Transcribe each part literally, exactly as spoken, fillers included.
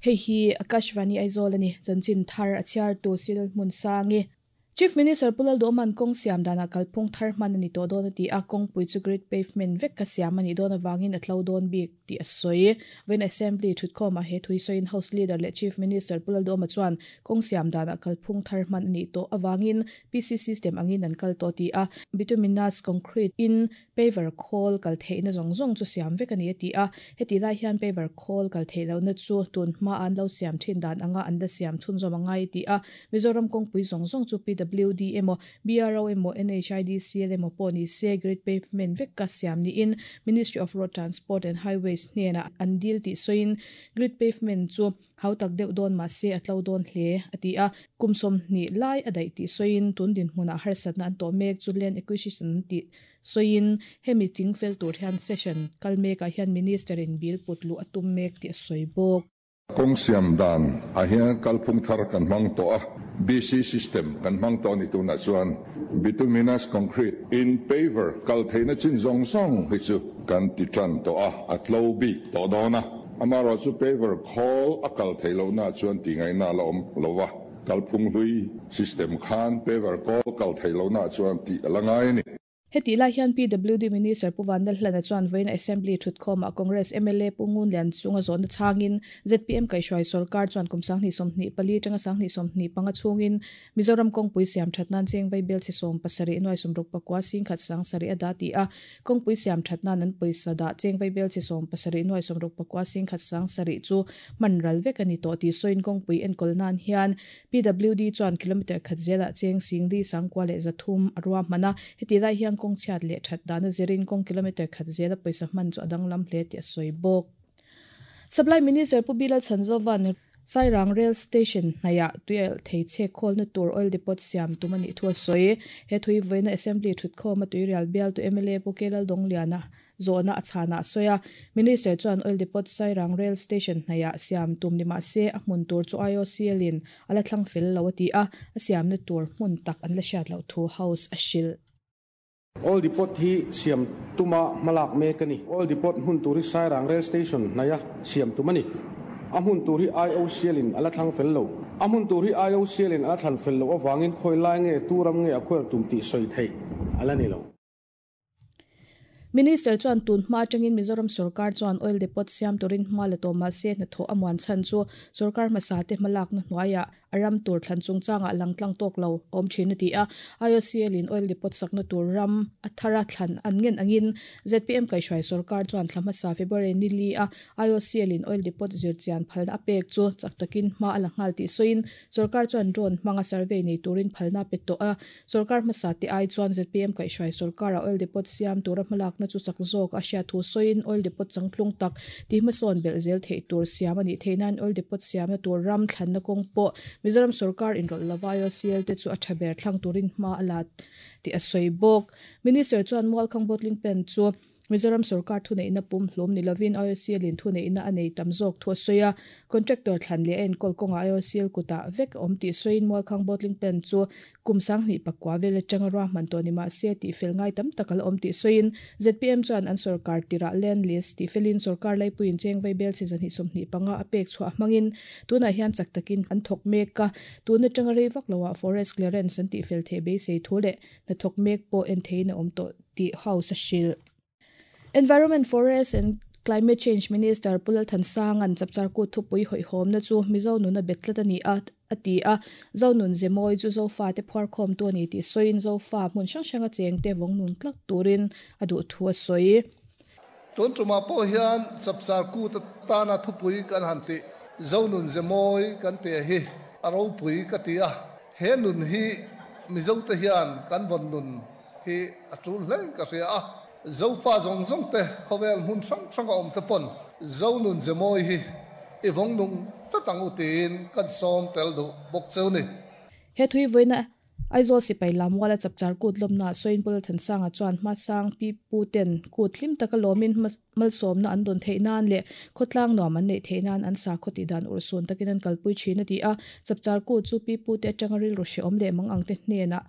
Hei hi Akashvani Aizawl ani chanchin thar a chhiar tu Silal hmun sangi Chief Minister Pulal Doman kong siam dana kalphung thar hman ani to don ati a kong pui chu grid pavement vek ka siam ani don awangin a tlo don bik ti a soi when assembly thutkhawm a he thui soin house leader le Chief Minister Pulal Doma chuan kong siam dana kalphung thar hman ani to awangin P C system angin an kal to ti a bituminous concrete in paver khol kal theina zong zong chu siam vek ani ati a heti lai hian paver khol kal theilo na chu tun hma an lo siam thin dan anga an la siam thun zom angai ti a Mizoram kong pui zong zong chu P W D emo B R O emo N H I D C L emo pawh ni se grid pavement vek ka siam ni in Ministry of Road Transport and Highways hnena an dil ti soin grid pavement chu hautak deuh dawn ma se atlo dawn hle ati a kumsom ni lai adai ti soin tun din hmuna harsatna an to mek chu land acquisition ti soin hemi chingfel tur hian session kalmeka hian minister in bill putlu atum mek ti soibok Kong siam dan a hian kalphung thar kan hmang to a B C system kan hmang to ni tuna chuan bituminous concrete in paver kal theina chin zong zong hi chu kan ti tran to a atlo bi to dona amaro chu paver khol a kal theilo na chuan ti ngai na lom lowa kalphung hlui system khan paver kol kal theilo na chuan ti alangai ni. Heti lai hian P W D Minister Puvan Lalhlana chuan vawiin Assembly thutkhawm a Congress M L A Pungun Lian chunga zawn changin Z P M kaihhruai sarkar chuan kum sanghnih sawmhnih pali tanga sanghnih sawmhnih panga chungin Mizoram kawngpui siam that nan cheng vai bel chi sawm pasarih nuai sawmruk pakua sing khat sang sarih a da ti a kawngpui siam that nan an pawisa dah cheng vai bel chi sawm pasarih nuai sawmruk pakua sing khat sang sarih chu man ral vek ani tawh ti sawiin kawngpui enkawl nan hian P W D chuan kilometer khat zela cheng sing li sangkua leh zathum a ruah hman a heti lai hian kong chiat le that dana zirin kong kilometer khat zela paisa man chu adang lam hle ti a soibok. Supply Minister Pu Bilal Chanzovan Sairang Rail Station hnaya tuel theiche khol na tur oil depot siam tumani thua soi he thui voina assembly thutkhawm a tuirial bial tu M L A Pu Kelal Dongliana zona achana soya Minister chuan oil depot Sairang Rail Station hnaya siam tum ni ma se a hmun tur chu I O C L in ala thlang fel lo ati a a siam na tur hmun tak an la hriat lo thu house a hril. Oil depot hi siam tuma malak me kani oil depot hun turi Sairang Rail Station naya siam tumani a hun turi I O C L in ala thlang fel lo a hun turi I O C L in ala thlan fel lo awangin khoi lai nge turam nge a khwer tum ti soi thei ala ni lo. Minister chuan tun hma tangin Mizoram sarkar chuan oil depot siam turin hma la tawma se na tho amuan chan chu sarkar hmasa te hmalak na hnuaia aram tur thlan chungchanga langtlang tawk lo awm thin ati a I O C L in oil depot sakna tur ram athara thlan an ngen angin Z P M kaihhruai sarkar chuan thla hmasa February ni li a I O C L in oil depot zirchian phalna a pek chu chak takin hma a la nghal tih sawiin sarkar chuan drone hmanga survey nei turin phalna pe tawh a sarkar hmasa te ai chuan Z P M kaihhruai sarkar a oil depot siam tura hmalak na chu chak zawk a hriat thu sawiin oil depot changtlung tak ti hmasawn belh zel theih tur siam ani theinan oil depot siamna tur ram thlanna kawng pawh Mizoram sarkar inrawlh lova I O C L te chu a tha ber thlang turin hma a la ti a sawi bawk. Minister chuan Mualkhang bottling plant chu Mizoram sarkar thu neihna pum hlawm ni lovin I O C L in thu neihna a nei tam zawk thu a sawi a contractor thlan leh a enkawl kawnga I O C L kutah vek awm tih sawiin Mualkhang bottling plant chu kum sanghnih pakua vel atanga ruahman tawh ni mahse tih fel ngai tam tak ala awm tih sawiin Z P M chuan an sarkar tirah land lease tih felin sarkar laipuiin cheng vai bel chi zanhnih sawmhnih panga a pek chhuah hmangin tunah hian chak takin an thawk mek a tun atanga rei vak loah forest clearance an tih fel thei beisei thu leh hna thawk mek pawh en thein a awm tawh tih house a hrilh. Environment, Forest and Climate Change Minister Pulal Thansang an chapchar ku thupui hoi hom na chu Mizo nuna betlat ani a ati a zonun zemoi chu zofa te phar khom tu ani ti soin zofa hmun hrang hranga cheng te vong nun tlak turin adu thu a soi tun tuma po hian chapchar ku ta ta na thupui kan han ti zonun zemoi kan te hi aro pui ka ti a he nun hi Mizo te hian kan von nun hi atul hleng ka ria a zofa zong zong te khovel hun sang sang om te pon zonun zemoi hi i vong nung ta tang u tin kan som tel du bok cheu ni he thui voina Aizawl sipai lamwala chapchar kut lawmna sawiin Pulal Thansanga chuan hma sang pi pu ten kut hlim taka lawmin malsawmna an dawn theih nan leh khawtlang nuam an neih theih nan an sa khawti dan urhsun takin an kalpui thin a ti a chapchar kut chu pi pu te atanga rilru hreawm leh mang ang te hnenah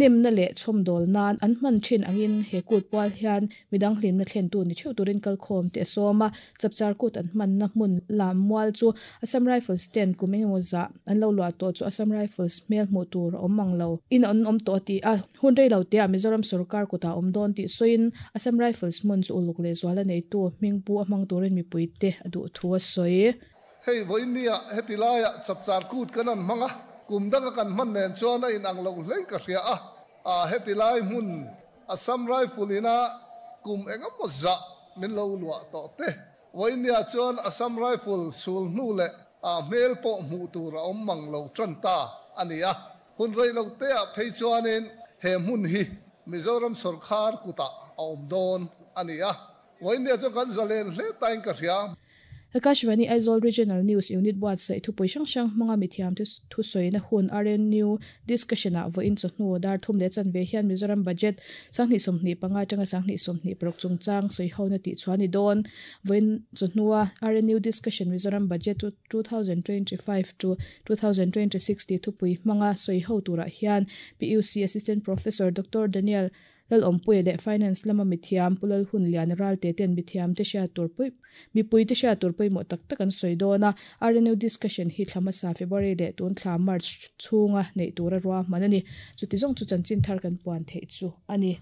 Hnemna leh chhawmdawl nan an hman thin angin he kut pual hian midang hlimna thlen tu ni theuh turin kalkhawm te a sawm a. Chapchar Kut an hmanna hmun Lammual chu Assam Rifles ten kum engemaw zah an lo luah tawh chu Assam Rifles hmel hmuh tur a awm ang lo in an awm tawh a ti a. Hun rei lo te ah Mizoram sorkar kutah awm dawn tih sawiin Assam Rifles hmun chu uluk leh zual a neitu hmingpu a hmang turin mipui te a duh thu a sawi. Hei vawinia heti laiah Chapchar Kut kan an hmang a, kum danga kan hman nen chuan a inang lo hlein ka hria a. A heti lai hmun Assam Rifle ina kum engemaw zah min lo luah tawh te. Vawinia chuan Assam Rifle sul hnu leh a hmel pawh hmuh tur a awm mang lo tan ta a ni a. Hun rei lo te ah phei chuanin he hmun hi Mizoram sorkar kutah a awm dawn a ni a. Vawinia chuan kan zalen hle tain ka hria. Akashvani Aizawl Regional News Unit buatsaih thupui hrang hrang hmanga mithiam te thusawi na hun R N U discussion ah vawiin chawhnu dar thum leh chanve hian Mizoram budget sanghnih sawmhnih panga atanga sanghnih sawmhnih paruk chungchang sawi ho na tih chuan ni dawn. Vawiin chawhnua R N U discussion Mizoram budget twenty twenty-five to twenty twenty-six ti thupui hmanga sawi ho turah hian P U C Assistant Professor Doctor Daniel Lal Awmpuia leh Finance lama mithiam Pulal hun lian ral te ten mithiam te hriat tur pui mipui te hriat tur pawimawh tak tak an sawi dawn a. R N U discussion hi thla hmasa February leh tun thla March chhunga neih tura ruahman a ni. Chuti zawng chu chanchin thar kan puan theih chu a ni.